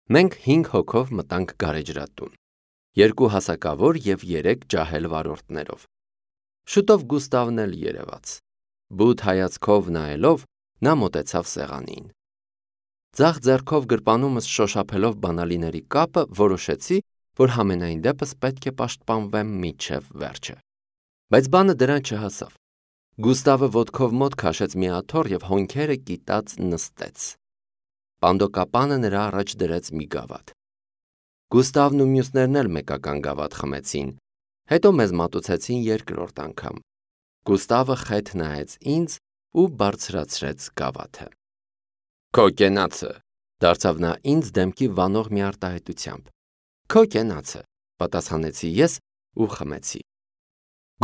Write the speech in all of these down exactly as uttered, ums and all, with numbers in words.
Մենք հինգ հոգով մտանք գարեջրատուն, երկու հասակավոր և երեք ջահել վարորդներով։ Շուտով Գուստավն էլ երևաց։ Բութ հայացքով նայելով նա մոտեցավ սեղանին։ Ձախ ձեռքով գրպանումս շոշափելով բանալիների կապը որոշեցի, որ համենայն դեպս պետք է պաշտպանվեմ մինչև վերջը։ Բայց բանը դրան չհասավ։ Գուստավը ոտքով մոտ քաշեց մի աթոռ և հոնքերը կիտած նստեց։ Պանդոկապանը նրա առաջ դրեց մի գավաթ։ Գուստավն ու մյուսներն էլ մեկական գավաթ խմեցին, հետո մեզ մատուցեցին երկրորդ անգամ։ Գուստավը խեթ նայեց ինձ ու բարձրացրեց գավաթը։ Քո կենացը, դարձավ նա ինձ դեմքի վանող մի արտահայտությամբ։ Քո կենացը, պատասխանեցի ես ու խմեցի։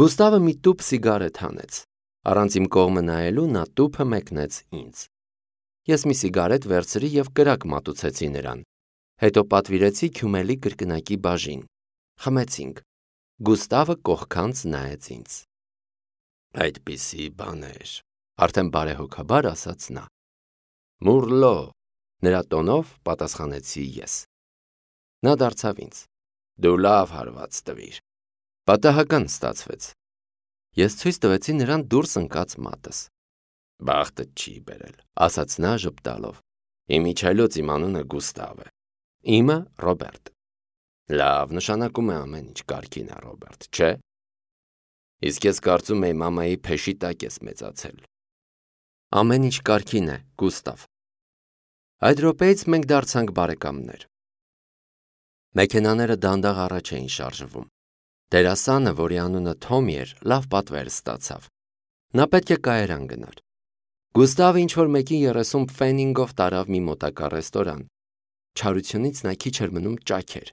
Գուստավը մի տուփ սիգարետ հանեց։ Առանց իմ կողմը նայելու նա տուփը մեկնեց ինձ։ Ես մի սիգարետ վերցրի և կրակ մատուցեցի նրան։ Հետո պատվիրեցի քյումելի կրկնակի բաժին։ Խմեցինք։ Գուստավը կողքանց նայեց ինձ։ Այդպիսի բաներ, արդեն բարեհոգաբար ասաց նա։ Մուրլո, նրա տոնով պատասխանեցի ես։ Նա դարձավ ինձ։ Դու լավ հարված տվիր։ Պատահական ստացվեց։ Ես ցույց տվեցի նրան դուրս ընկած մատս։ Բախտը չի բերել, ասաց նա ժպտալով։ Իմ իջայլոց իմ անունը Գուստավ է։ Իմը Ռոբերտ։ Լավ, նշանակում է ամեն ինչ կարգին է, Ռոբերտ, չէ՞։ Իսկ ես կարծում էի մամայի փեշի տակ ես մեծացել։ Ամեն ինչ կարգին է, Գուստավ։ Այդ րոպեից մենք դարձանք բարեկամներ։ Մեքենաները դանդաղ առաջ էին շարժվում։ Դերասանը, որի անունը Թոմի էր, լավ պատվեր ստացավ։ Նա պետք է կայարան գնար։ Գուստավը ինչ-որ մեկի երեսուն փֆենինգով տարավ մի մոտակա ռեստորան։ Չարությունից նա քիչ էր մնում ճաքեր։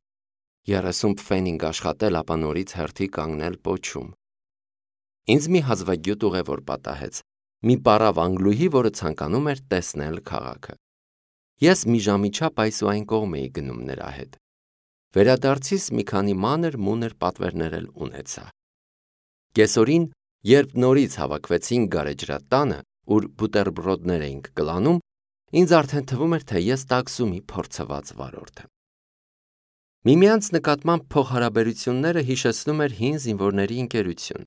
երեսուն փֆենինգ աշխատել, ապա նորից հերթի կանգնել պոչում։ Ինձ մի հազվագյուտ ուղևոր պատահեց։ Մի պառավ անգլուհի, որը ցանկանում էր տեսնել քաղաքը։ Ես մի ժամի չափ այս ու այն կողմ էի գնում նրա հետ։ Վերադարձիս մի քանի մանր մունր պատվերներ էլ ունեցա։ Կեսօրին, երբ նորից հավաքվեցինք գարեջրատանը, ուր բուտերբրոդներ էինք կլանում, ինձ արդեն թվում էր, թե ես տաքսումի փորձված վարորդ եմ։ Միմյանց նկատմամբ փոխհարաբերությունները հիշեցնում էր հին զինվորների ընկերություն։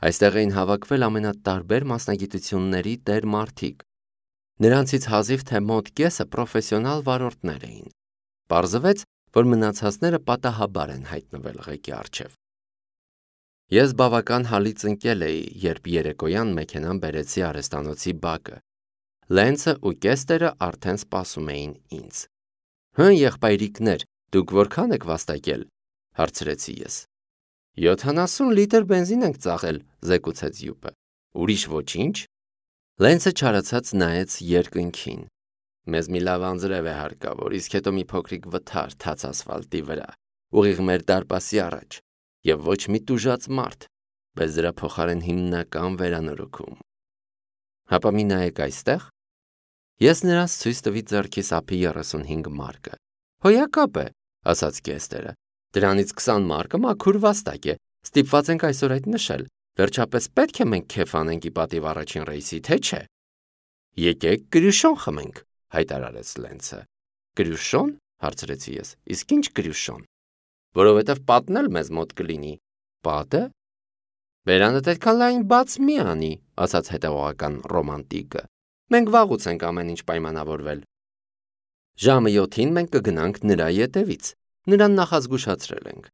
Այստեղ էին հավաքվել ամենատարբեր մասնագիտությունների տեր մարդիկ։ Նրանցից հազիվ թե մոտ կեսը պրոֆեսիոնալ վարորդներ էին։ Պարզվեց, որ մնացածները պատահաբար են հայտնվել ղեկի առջև։ Ես բավական հալից ընկել էի, երբ երեկոյան մեքենան բերեցի արհեստանոցի բակը։ Լենցը ու Կեստերը արդեն սպասում էին ինձ։ Հն եղբայրիկներ, դուք որքան եք վաստակել, հարցրեցի ես։ Յոթանասուն լիտր բենզին ենք ծախել, զեկուցեց յուպը։ Ուրիշ ոչինչ։ Լենցը չարացած նայեց երկնքին։ Մեզ մի լավ անձրև է հարկավոր, իսկ հետո մի փոքրիկ վթար թաց ասֆալտի վրա, ուղիղ մեր դարպասի առաջ, եւ ոչ մի տուժած մարդ, բայց դրա փոխարեն հիմնական վերանորոգում։ Հապա մի նայեք այստեղ։ Ես նրանց ցույց տվի ձեռքիս ափի երեսունհինգ մարկը։ Հոյակապ է, ասաց Կեստերը։ Դրանից քսան մարկը մաքուր վաստակ է, ստիպված ենք այսօր այդ նշել։ Վերջապես պետք է մենք քեֆ անենք ի պատիվ առաջին ռեյսի, թե չէ։ Եկեք կրյուշոն խմենք, հայտարարեց Լենցը։ Կրյուշոն, հարցրեցի ես, իսկ ինչ կրյուշոն։ Որովհետև պատն էլ մեզ մոտ կլինի։ Պատը։ Բերանդ այդքան լայն բաց մի անի, ասաց հետևողական ռոմանտիկը։ Մենք վաղուց ենք ամեն ինչ պայմանավորվել։ Ժամը յոթին մենք կգնանք նրա ետևից։ Նրան նախազգուշացրել ենք։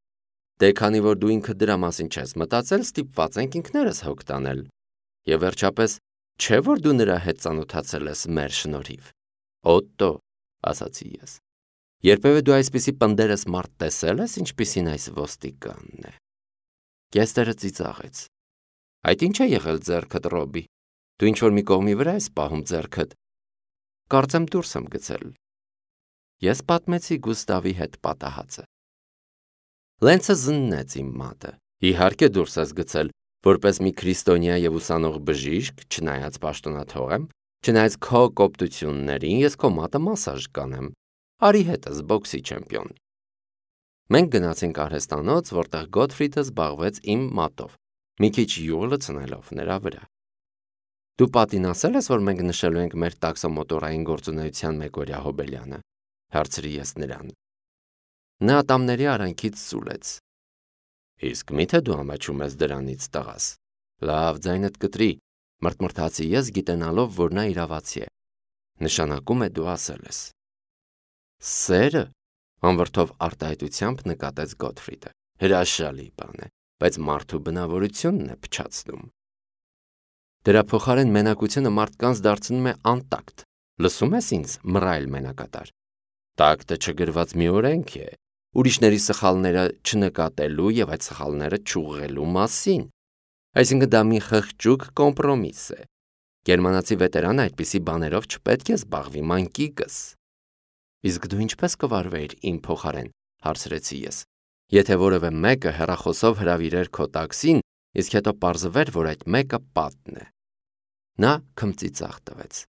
Դե քանի որ դու ինքդ դրա մասին չես մտածել, ստիպված ենք ինքներս հոգ տանել։ Եվ վերջապես, չէ՞ որ դու նրա հետ ծանոթացել ես մեր շնորհիվ։ Օտտո, ասացի ես։ Երբևէ դու այսպիսի պնդերս մարդ տեսել ես, ինչպիսին այս ոստիկանն է։ Կեստերը ծիծաղեց։ Այդ ինչ է եղել ձեռքդ, Ռոբի։ Դու ինչ-որ մի կողմի վրա ես պահում ձեռքդ։ Կարծեմ դուրս եմ գցել։ Ես պատմեցի Գուստավի հետ պատահածը։ Լենցը զննեց իմ մատը։ Իհարկե դուրս ես գցել, որպես մի քրիստոնյա եւ ուսանող բժիշկ, չնայած պաշտոնաթող եմ, չնայած քո կոպտություններին, ես քո մատը մասաժ կանեմ։ Արի հետս բոքսի չեմպիոն։ Մենք գնացինք արհեստանոց, որտեղ Գոթֆրիդը զբաղվեց իմ մատով, մի քիչ յուղ լցնելով նրա վրա։ Դու պատին ասել ես, որ մենք նշելու ենք մեր տաքսոմոտորային գործունեության մեկօրյա հոբելյանը։ հարցրի ես նրան։ Նա ատամների արանքից սուլեց։ Իսկ միթե դու ամաչում ես դրանից, տղաս։ Լավ, ձայնդ կտրի, մրթմրթացի ես գիտենալով, որ նա իրավացի է։ Նշանակում է դու ասել ես։ Սերը, անվրդով արտահայտությամբ նկատեց Գոթֆրիդը։ Հրաշալի բան է, բայց մարդու բնավորությունն է փչացնում։ Դրա փոխարեն մենակությունը մարդկանց դարձնում է անտակտ։ Լսում ես ինձ, մռայլ մենակատար։ Տակտը չգրված մի օրենք է, ուրիշների սխալները չնկատելու եւ այդ սխալները չուղղելու մասին։ Այսինքն դա մի խղճուկ կոմպրոմիս է։ Գերմանացի վետերանը այդպիսի բաներով չպետք է զբաղվի, մանկիկս։ Իսկ դու ինչպես կվարվեիր իմ փոխարեն, հարցրեցի ես։ Եթե որևէ մեկը հեռախոսով հրավիրեր քո տաքսին, իսկ հետո պարզվեր, որ այդ մեկը պատն է։ Նա քմծիծաղ տվեց։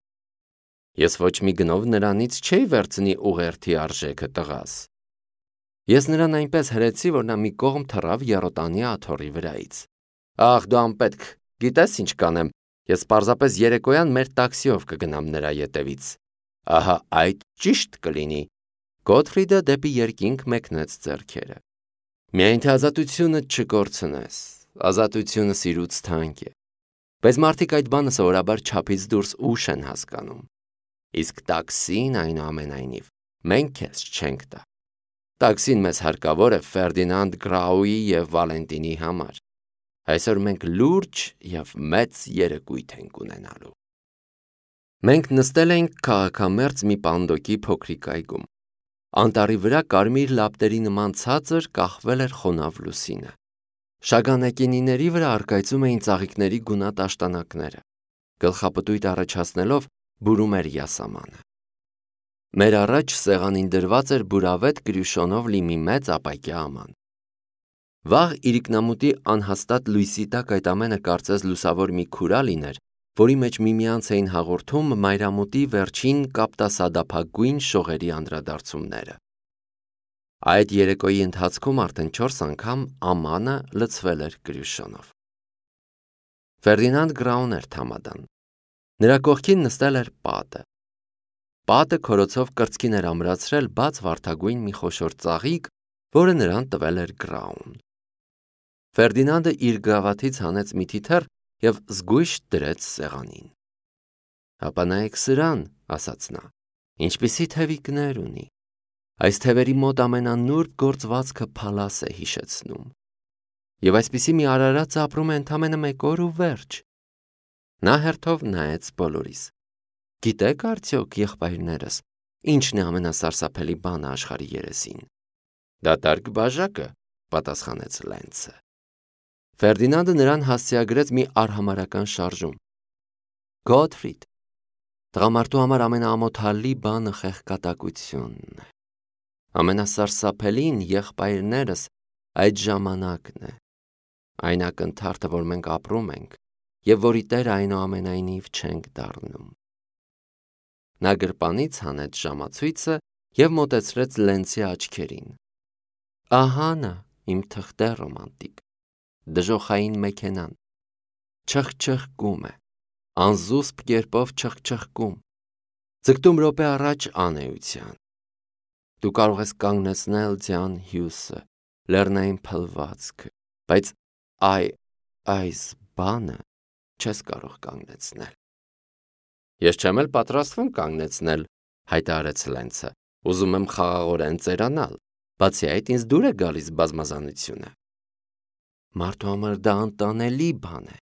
Ես ոչ մի գնով նրանից չէի վերցնի ուղերթի արժեքը, տղաս։ Ես նրան այնպես հրեցի, որ նա մի կողմ թռավ եռոտանի աթոռի վրայից։ Ախ, դու անպետք, գիտես ինչ կանեմ, ես պարզապես երեկոյան մեր տաքսիով կգնամ նրա ետևից։ Ահա այդ ճիշտ կլինի։ Գոթֆրիդը դեպի երկինք մեկնեց ձեռքերը։ Միայն թե ազատությունը չկորցնես, ազատությունը սիրուց թանկ է։ Բայց մարդիկ այդ բանը սովորաբար չափից դուրս ուշ են հասկանում։ Իսկ տաքսին այնուամենայնիվ մենք քեզ չենք տա։ Տաքսին մեզ հարկավոր է Ֆերդինանդ Գրաուի և Վալենտինի համար։ Այսօր մենք լուրջ և մեծ երեկույթ ենք ունենալու։ Մենք նստել էինք քաղաքամերձ մի պանդոկի փոքրիկ այգում։ Անտառի վրա կարմիր լապտերի նման ցածր կախվել էր խոնավ լուսինը։ Շագանակենիների վրա առկայծում էին ծաղիկների գունատ աշտանակները։ Գլխապտույտ առաջացնելով բուրում էր յասամանը։ Մեր առաջ սեղանին դրված էր բուրավետ կրյուշոնով լի մի մեծ ապակյա աման։ Վաղ իրիկնամուտի անհաստատ լույսի տակ այդ ամենը կարծես լուսավոր մի քուրա լիներ, որի մեջ միմյանց էին հաղորդում մայրամուտի վերջին կապտասադափագույն շողերի անդրադարձումները։ Այդ երեկոյի ընթացքում արդեն չորս անգամ ամանը լցվել էր կրյուշոնով։ Ֆերդինանդ Գրաուն էր թամադան։ Նրա կողքին նստել էր պատը։ Պատը քորոցով կրծքին էր ամրացրել բաց վարդագույն մի խոշոր ծաղիկ, որը նրան տվել էր Գրաուն։ Ֆերդինանդը իր գրավաթից հանեց մի թիթեռ և զգույշ դրեց սեղանին։ Հապա նայեք սրան, ասաց նա, ինչպիսի թևիկներ ունի։ Այս թևերի մոտ ամենանուրբ գործվածքը փալաս է հիշեցնում։ Եվ այսպիսի մի արարած ապրում է ընդամենը մեկ օր ու վերջ։ Նա հերթով նայեց բոլորիս։ Գիտեք արդյոք, եղբայրներս, ինչն է ամենասարսափելի բանը աշխարհի երեսին։ Դատարկ բաժակը, պատասխանեց Լենցը։ Ֆերդինանդը նրան հասցեագրեց մի արհամարհական շարժում։ Գոթֆրիդ, տղամարդու համար ամենաամոթալի բանը խեղկատակությունն է։ Ամենասարսափելին, եղբայրներս, այդ ժամանակն է։ Այն ակնթարթը, որ մենք ապրում ենք, և որի տերը այնուամենայնիվ չենք դառնում։ Նա գրպանից հանեց ժամացույցը և մոտեցրեց Լենցի աչքերին։ Ահա նա, իմ թղթե ռոմանտիկ, դժոխային մեքենան, չխչխկում է, անզուսպ կերպով չխչխկում, ձգտում րոպե առաջ անեության։ Դու կարող ես կանգնեցնել Ձյան Հյուսը, լեռնային փլվածքը, բայց այ այս բանը չես կարող կանգնեցնել։ Ես չեմ էլ պատրաստվում կանգնեցնել, հայտարարեց Լենցը, ուզում եմ խաղաղորեն ծերանալ, բացի այդ ինձ դուր է գալիս բազմազանությունը։ Մարդու համար դա անտանելի բան է,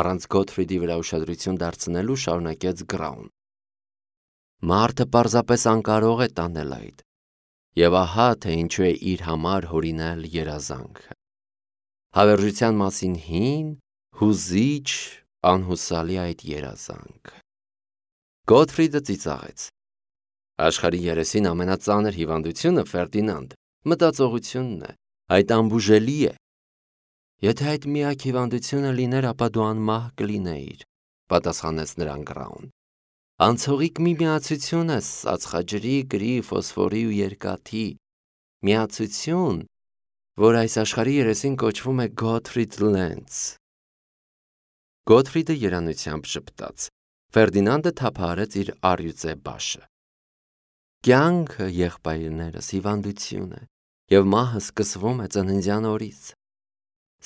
առանց Գոթֆրիդի վրա ուշադրություն դարձնելու շարունակեց Գրաուն։ Մարդը պարզապես անկարող է տանել այդ, և ահա թե ինչու է իր համար հորինել երազանքը։ Հավերժության մասին հին, հուզիչ, անհուսալի այդ երազանքը։ Գոթֆրիդը ծիծաղեց։ Աշխարհի երեսին ամենածանր հիվանդությունը, Ֆերդինանդ, մտածողությունն է, այդ անբուժելի է։ Եթե այդ միակ հիվանդությունը լիներ, ապա դու անմահ կլինեիր, պատասխանեց նրան Գրաուն։ Անցողիկ մի միացություն ես ածխաջրի, գրի, ֆոսֆորի ու երկաթի, միացություն, որ այս աշխարհի երեսին կոչվում է Գոթֆրիդ Լենց։ Գոթֆրիդը երանությամբ ժպտաց։ Ֆերդինանդը թափահարեց իր առյուծե բաշը։ Կյանքը եղբայրներս հիվանդություն է, և մահը սկսվում է ծննդյան օրից։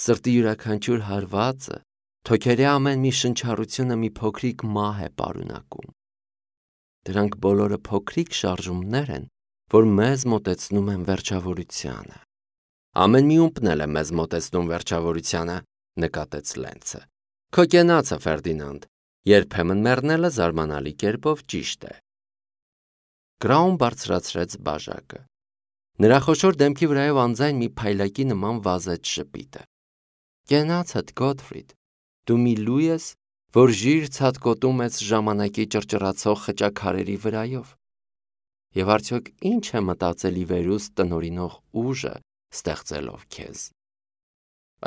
Սրտի յուրաքանչյուր հարվածը, թոքերի ամեն մի շնչառությունը մի փոքրիկ մահ է պարունակում։ Դրանք բոլորը փոքրիկ շարժումներ են, որ մեզ մոտեցնում են վերջավորությանը։ Ամեն մի ումպն էլ է մեզ մոտեցնում վերջավորությանը, նկատեց Լենցը։ Քո կենացը, Ֆերդինանդ, երբեմն մեռնելը զարմանալի կերպով ճիշտ է։ Կրաուն բարձրացրեց բաժակը։ Նրա խոշոր դեմքի վրայով անձայն մի փայլակի նման վազեց շպիտը։ Կենացդ, Գոթֆրիդ, դու մի լույ ես, որ ժիր ցատկոտում ես ժամանակի ճռճռացող խճաքարերի վրայով։ Եվ արդյոք ինչ է մտածել ի վերուստ տնօրինող ուժը ստեղծելով քեզ։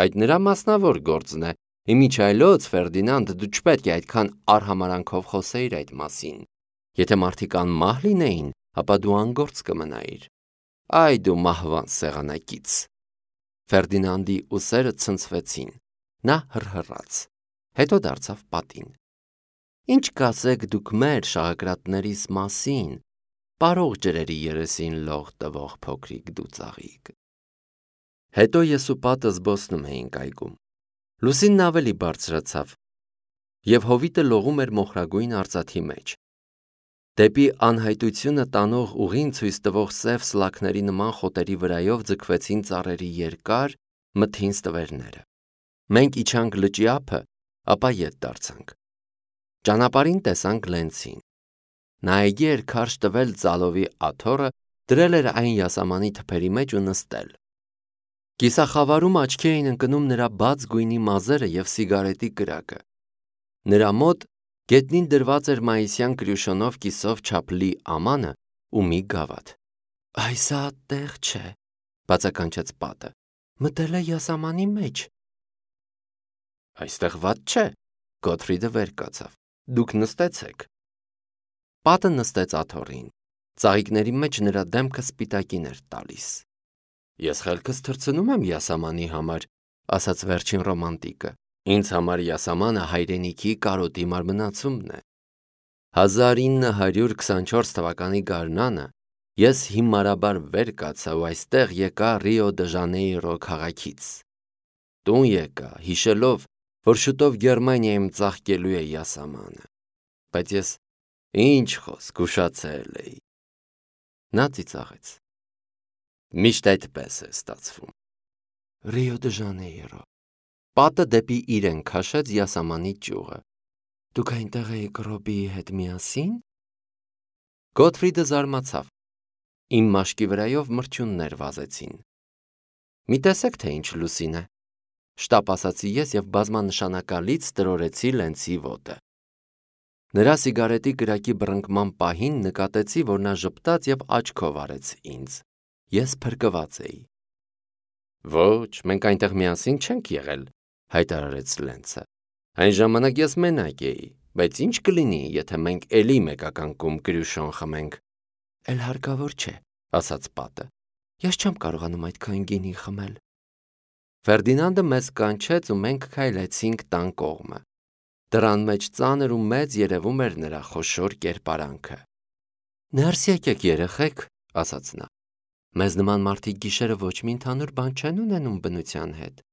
Այդ նրա մասնավոր գործն է, իմիջայլոց, Ֆերդինանդ, դու չպետք է այդքան արհամարանքով խոսեիր այդ մասին։ Եթե մարդիկ անմահ լինեին, ապա դու անգործ կմնայիր։ Այ դու մահվան սեղանակից։ Ֆերդինանդի ուսերը ցնցվեցին։ Նա հռհռաց, հետո դարձավ պատին։ Ինչ կասեք դուք մեր շաղակրատներիս մասին, պարող ջրերի երեսին լող տվող փոքրիկ դուծաղիկ։ Հետո ես ու պատը զբոսնում էինք այգում։ Լուսինն ավելի բարձրացավ, և հովիտը լողում էր մոխրագույն արծաթի մեջ։ Դեպի անհայտությունը տանող ուղին ցույց տվող սև սլաքների նման խոտերի վրայով ձգվեցին ծառերի երկար, մթին ստվերները։ Մենք իջանք լճի ափը, ապա ետ դարձանք։ Ճանապարհին տեսանք Լենցին։ Նա այգի էր քարշ տվել ծալովի աթոռը, դրել էր այն յասամանի թփերի մեջ ու նստել։ Կիսախավարում աչքի էին ընկնում նրա բաց գույնի մազերը և սիգարետի կրակը։ Նրա մոտ գետնին դրված էր մայիսյան կրյուշոնով կիսով չափլի ամանը ու մի գավաթ։ Այս տեղ չէ, բացականչեց պատը, մտել է յասամանի մեջ։ Այստեղ վատ չէ, Գոթֆրիդը վեր կացավ, դուք նստեցեք։ Պատը նստեց աթոռին, ծաղիկների մեջ նրա դեմքը սպիտակին էր տալիս։ Ես խելքս թռցնում եմ յասամանի համար, ասաց վերջին ռոմանտիկը։ Ինձ համար յասամանը հայրենիքի կարոտի մարմնացումն է։ հազար ինը հարյուր քսանչորս թվականի գարնանը ես հիմարաբար վեր կացա ու այստեղ եկա Ռիո դը Ժանեյրո քաղաքից։ Տուն եկա, հիշելով, որ շուտով Գերմանիայում ծաղկելու է յասամանը։ Բայց ես ինչ խոսք ուշացել էի։ Նա ծիծաղեց։ Միշտ այդպես է ստացվում։ Ռիո դը Ժանեյրո։ Պատը դեպի իրեն քաշեց յասամանի ճյուղը։ Դուք այնտեղ էիք Ռոբիի հետ միասին։ Գոթֆրիդը զարմացավ։ Իմ մաշկի վրայով մրջյուններ վազեցին։ Մի տեսեք, թե ինչ լուսին է, շտապ ասացի ես և բազմանշանակալից տրորեցի Լենցի ոտը։ Նրա սիգարետի կրակի բռնկման պահին նկատեցի, որ նա ժպտաց և աչքով արեց ինձ։ Ես փրկված էի։ Ոչ, մենք այնտեղ միասին չենք եղել, հայտարարեց Լենցը։ Այն ժամանակ ես մենակ էի, բայց ինչ կլինի, եթե մենք էլի մեկականկում կրյուշոն խմենք։ Էլ հարկավոր չէ, ասաց պատը։ Ես չեմ կարողանում այդքան գինի խմել։ Ֆերդինանդը մեզ կանչեց ու մենք քայլեցինք տան կողմը։ Դռան մեջ ծանր ու մեծ երևում էր նրա խոշոր կերպարանքը։ Ներս եկեք, երեխեք, ասաց նա։ Մեզ նման մարդիկ գիշերը ոչ մի ընդհանուր բան չեն ունենում բնության հետ։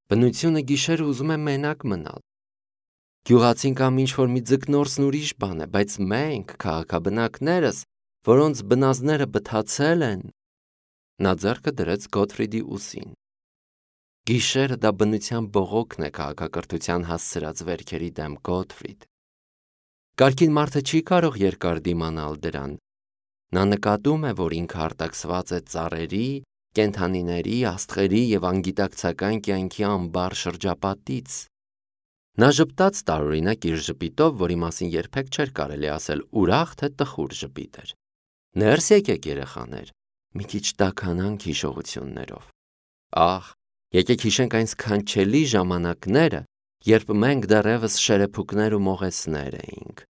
Բնությունը գիշերը ուզում է մենակ մնալ։ Գյուղացին կամ ինչ-որ մի ձկնորսն ուրիշ բան է, բայց մենք, քաղաքաբնակներս, որոնց բնազդները բթացել են։ Նա ձեռքը դրեց Գոթֆրիդի ուսին։ Գիշերը դա բնության բողոքն է քաղաքակրթության հասցրած վերքերի դեմ, Գոթֆրիդ։ Կարգին մարդը չի կարող երկար դիմանալ դրան։ Նա նկատում է, որ ինքը արտաքսված է ծառերի, կենդանիների, աստղերի և անգիտակցական կյանքի ամբար շրջապատից։ Նա ժպտաց տարօրինակ իր ժպիտով, որի մասին երբեք չէր կարելի ասել ուրախ թե տխուր ժպիտ էր։ Ներս եկեք, երեխաներ, մի քիչ տաքանանք հիշողություններով։ Ահ, եկեք հիշենք այն սքանչելի ժամանակները, երբ մենք դեռևս շերեփուկներ ու մողեսներ էինք։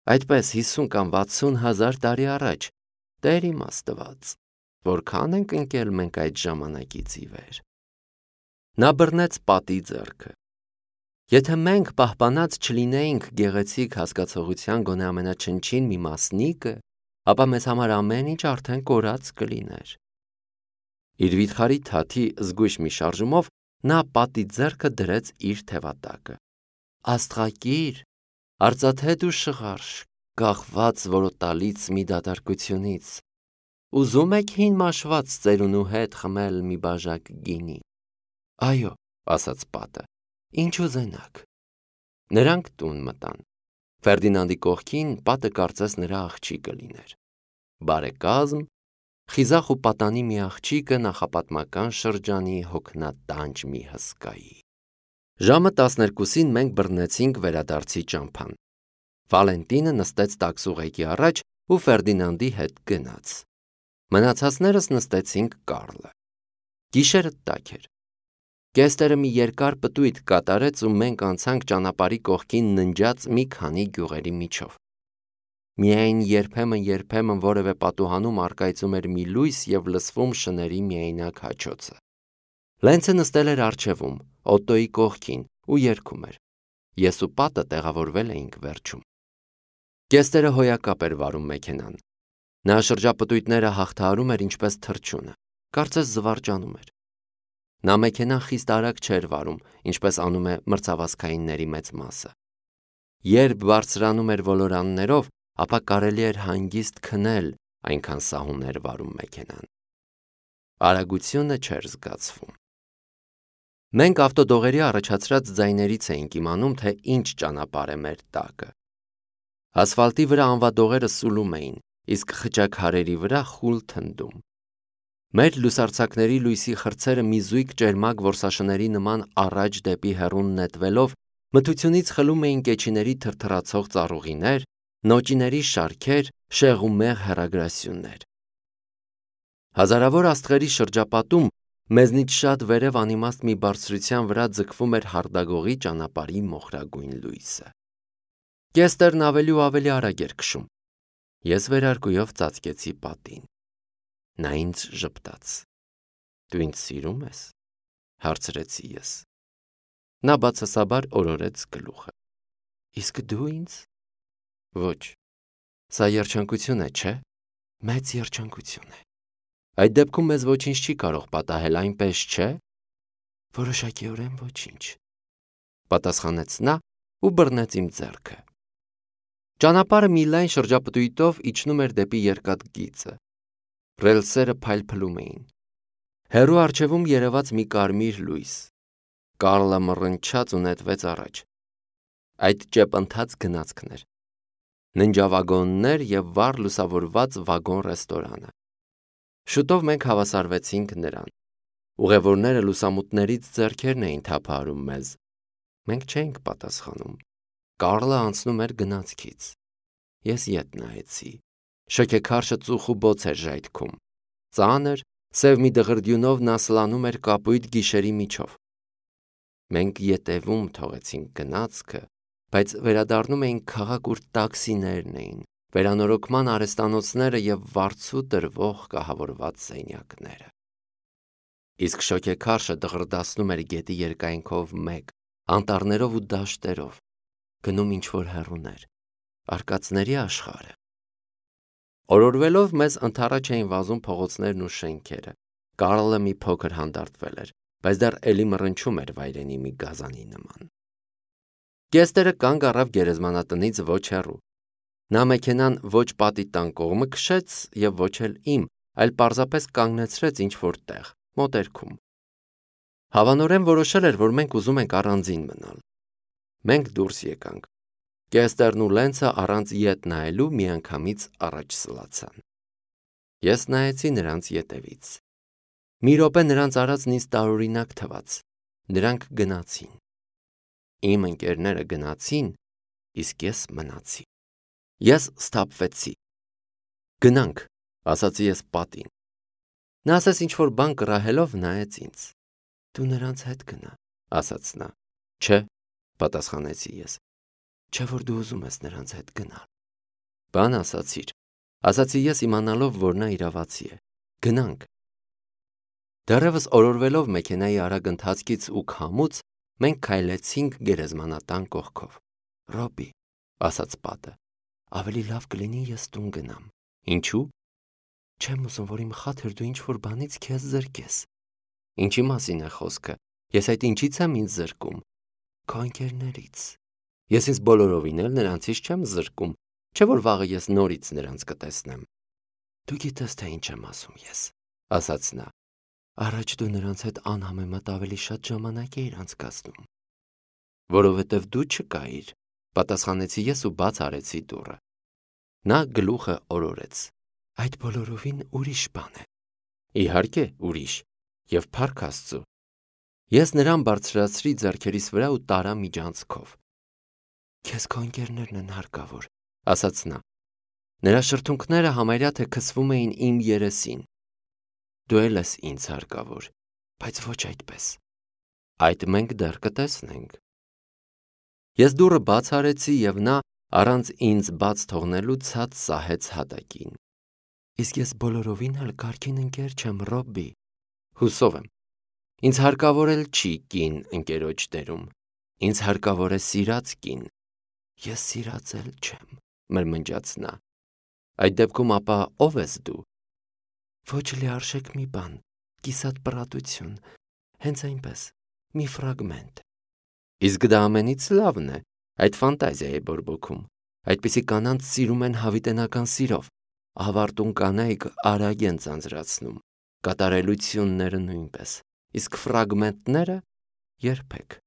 Այդպես հիսուն կամ վաթսուն հազար տարի առաջ, Տեր իմ Աստված, որքան ենք ընկել մենք այդ ժամանակից ի վեր։ Նա բռնեց պատի ձեռքը։ Եթե մենք պահպանած չլինեինք գեղեցիկ հասկացողության գոնե ամենաչնչին մի մասնիկը, ապա մեզ համար ամեն ինչ արդեն կորած կլիներ։ Իր վիթխարի թաթի զգույշ մի շարժումով նա պատի ձեռքը դրեց իր թևատակը։ Աստղակիր, արծաթե դու շղարշ, կախված որոտալից մի դատարկությունից, ուզում եք հին մաշված ծերունու հետ խմել մի բաժակ գինի։ Այո, ասաց պատը, ինչ ուզենաք։ Նրանք տուն մտան։ Ֆերդինանդի կողքին պատը կարծես նրա աղջիկը լիներ։ Բարեկազմ, խիզախ ու պատանի մի աղջիկը նախապատմական շրջանի հոգնատանջ մի հսկայի։ Ժամը տասներկուսին մենք բռնեցինք վերադարձի ճամփան։ Վալենտինը նստեց տաքսուղեկի առաջ ու Ֆերդինանդի հետ գնաց։ Մնացածներս նստեցինք Կարլը։ Գիշերը տաք էր։ Կեստերը մի երկար պտույտ կատարեց ու մենք անցանք ճանապարհի կողքին ննջած մի քանի գյուղերի միջով։ Միայն երբեմն-երբեմն որևէ պատուհանում առկայծում էր մի լույս և լսվում շների միայնակ հաչոցը։ Լենցը նստել էր առջևում, Օտոյի կողքին ու երգում էր։ Ես ու պատը տեղավորվել էինք վերջում։ Կեստերը հոյակապ էր վարում մեքենան։ Նա շրջապտույտները հաղթահարում էր ինչպես թռչյունը, կարծես զվարճանում էր։ Նա մեքենան խիստ արագ չէր վարում, ինչպես անում է մրցավազքայինների մեծ մասը։ Երբ բարձրանում էր ոլորաններով, ապա կարելի էր հանգիստ քնել, այնքան սահուն էր վարում մեքենան։ Արագությունը չէր զգացվում։ Մենք ավտոդողերի առաջացրած ձայներից էինք իմանում, թե ինչ ճանապարհ է մեր տակը։ Ասֆալտի վրա անվադողերը սուլում էին, իսկ խճաքարերի վրա խուլ թնդում։ Մեր լուսարձակների լույսի խրձերը մի զույգ ճերմակ որսաշների նման առաջ դեպի հեռուն նետվելով մթությունից խլում էին կեչիների թրթռացող ծառուղիներ, նոճիների շարքեր, շեղումեղ հեռագրասյուներ։ Հազարավոր աստղերի շրջապատում մեզնից շատ վերև անիմաստ մի բարձրության վրա ձգվում էր հարդագողի ճանապարհի մոխրագույն լույսը։ Կեստերն ավելի ու ավելի արագ էր քշում։ Ես վերարկուով ծածկեցի պատին։ Նա ինձ ժպտաց։ Դու ինձ սիրում ես, հարցրեցի ես։ Նա բացասաբար օրորեց գլուխը։ Իսկ դու ինձ։ Ոչ, սա երջանկություն է, չէ՞։ Մեծ երջանկություն է։ Այդ դեպքում մեզ ոչինչ չի կարող պատահել, այնպես չէ։ Որոշակիորեն ոչինչ, պատասխանեց նա ու բռնեց իմ ձեռքը։ Ճանապարհը մի լայն շրջապտույտով իջնում էր դեպի երկաթգիծը։ Ռելսերը փայլփլում էին։ Հեռու առջևում երևաց մի կարմիր լույս։ Կարլը մռնչաց ու նետվեց առաջ։ Այդ ճեպընթաց գնացքն էր։ Ննջավագոններ և վառ լուսավորված վագոն-ռեստորանը։ Շուտով մենք հավասարվեցինք նրան։ Ուղևորները լուսամուտներից ձեռքերն էին թափահարում մեզ։ Մենք չէինք պատասխանում։ Կարլը անցնում էր գնացքից։ Ես ետ նայեցի։ Շոգեքարշը ծուխ ու բոց էր ժայթքում։ Ծանր, սև մի դղրդյունով նա սլանում էր կապույտ գիշերի միջով։ Մենք ետևում թողեցինք գնացքը, բայց վերադառնում էինք քաղաք, ուր տաքսիներն էին, վերանորոգման արհեստանոցները և վարձու տրվող կահավորված սենյակները։ Իսկ շոգեքարշը դղրդացնում էր գետի երկայնքով մեկ, անտառներով ու դաշտերով, գնում ինչ-որ հեռուներ, արկածների աշխարհը։ Օրորվելով մեզ ընդառաջ էին վազում փողոցներն ու շենքերը։ Կարլը մի փոքր հանդարտվել էր, բայց դեռ էլի մռնչում էր վայրենի մի գազանի նման։ Կեստերը կանգ առավ գերեզմանատնից ոչ հեռու։ Նա մեքենան ոչ պատի տան կողմը քշեց և ոչ էլ իմ, այլ պարզապես կանգնեցրեց ինչ-որ տեղ, մոտերքում։ Հավանորեն որոշել էր, որ մենք ուզում ենք առանձին մնալ։ Մենք դուրս եկանք։ Կեստերն ու Լենցը առանց ետ նայելու միանգամից առաջ սլացան։ Ես նայեցի նրանց ետևից։ Մի րոպե նրանց արածն ինձ տարօրինակ թվաց։ Նրանք գնացին։ Իմ ընկերները գնացին, իսկ ես մնացի։ Ես սթափվեցի։ Գնանք, ասացի ես պատին։ Նա ասես ինչ-որ բան կռահելով նայեց ինձ։ Դու նրանց հետ գնա, ասաց նա։ Չէ, պատասխանեցի ես։ Չէ՞ որ դու ուզում ես նրանց հետ գնալ։ Բան ասացիր, ասացի ես իմանալով, որ նա իրավացի է։ Գնանք։ Դեռևս օրորվելով մեքենայի արագ ընթացքից ու քամուց, մենք քայլեցինք գերեզմանատան կողքով։ Ռոբի, ասաց պատը, ավելի լավ կլինի ես տուն գնամ։ Ինչու՞։ Չեմ ուզում, որ իմ խաթր դու ինչ-որ բանից քեզ զրկես։ Ինչի մասին է խոսքը։ Ես այդ ինչից եմ ինձ զրկում։ Քո ընկերներից։ Ես ինձ բոլորովին էլ նրանցից չեմ զրկում, չէ՞ որ վաղը ես նորից նրանց կտեսնեմ։ Դու գիտես, թե ինչ եմ ասում ես, ասաց նա։ Առաջ դու նրանց հետ անհամեմատ ավելի շատ ժամանակ էիր անցկացնում։ Որովհետև դու չկայիր, պատասխանեցի ես ու բաց արեցի դուռը։ Նա գլուխը օրորեց։ Այդ բոլորովին ուրիշ բան է։ Իհարկե, ուրիշ, եւ փառք Աստծո։ Ես նրան բարձրացրի ձեռքերիս վրա ու տարա միջանցքով։ Քեզ քո ընկերներն են հարկավոր, ասաց նա։ Նրա շրթունքները համարյա թե քսվում էին իմ երեսին։ Դու էլ ես ինձ հարկավոր, բայց ոչ այդպես։ Այդ մենք դեռ կտեսնենք։ Ես դուռը բաց արեցի եւ նա առանց ինձ բաց թողնելու ցած սահեց հատակին։ Իսկ ես բոլորովին էլ կարգին ընկեր չեմ, Ռոբբի։ Հուսով եմ։ Ինձ հարկավոր էլ չի կին ընկերոջ դերում։ Ինձ հարկավոր է սիրած կին։ Ես սիրած էլ չեմ, մրմնջաց նա։ Այդ դեպքում ապա ով ես դու։ Ոչ լիարժեք մի բան, կիսատ պրատություն, հենց այնպես, մի ֆրագմենտ։ Իսկ դա ամենից լավն է, այդ ֆանտազիա է բորբոքում։ Այդպիսի կանանց սիրում են հավիտենական սիրով, ավարտուն կանայք արագ են ձանձրացնում, կատարելությունները նույնպես, իսկ ֆրագմենտները երբեք։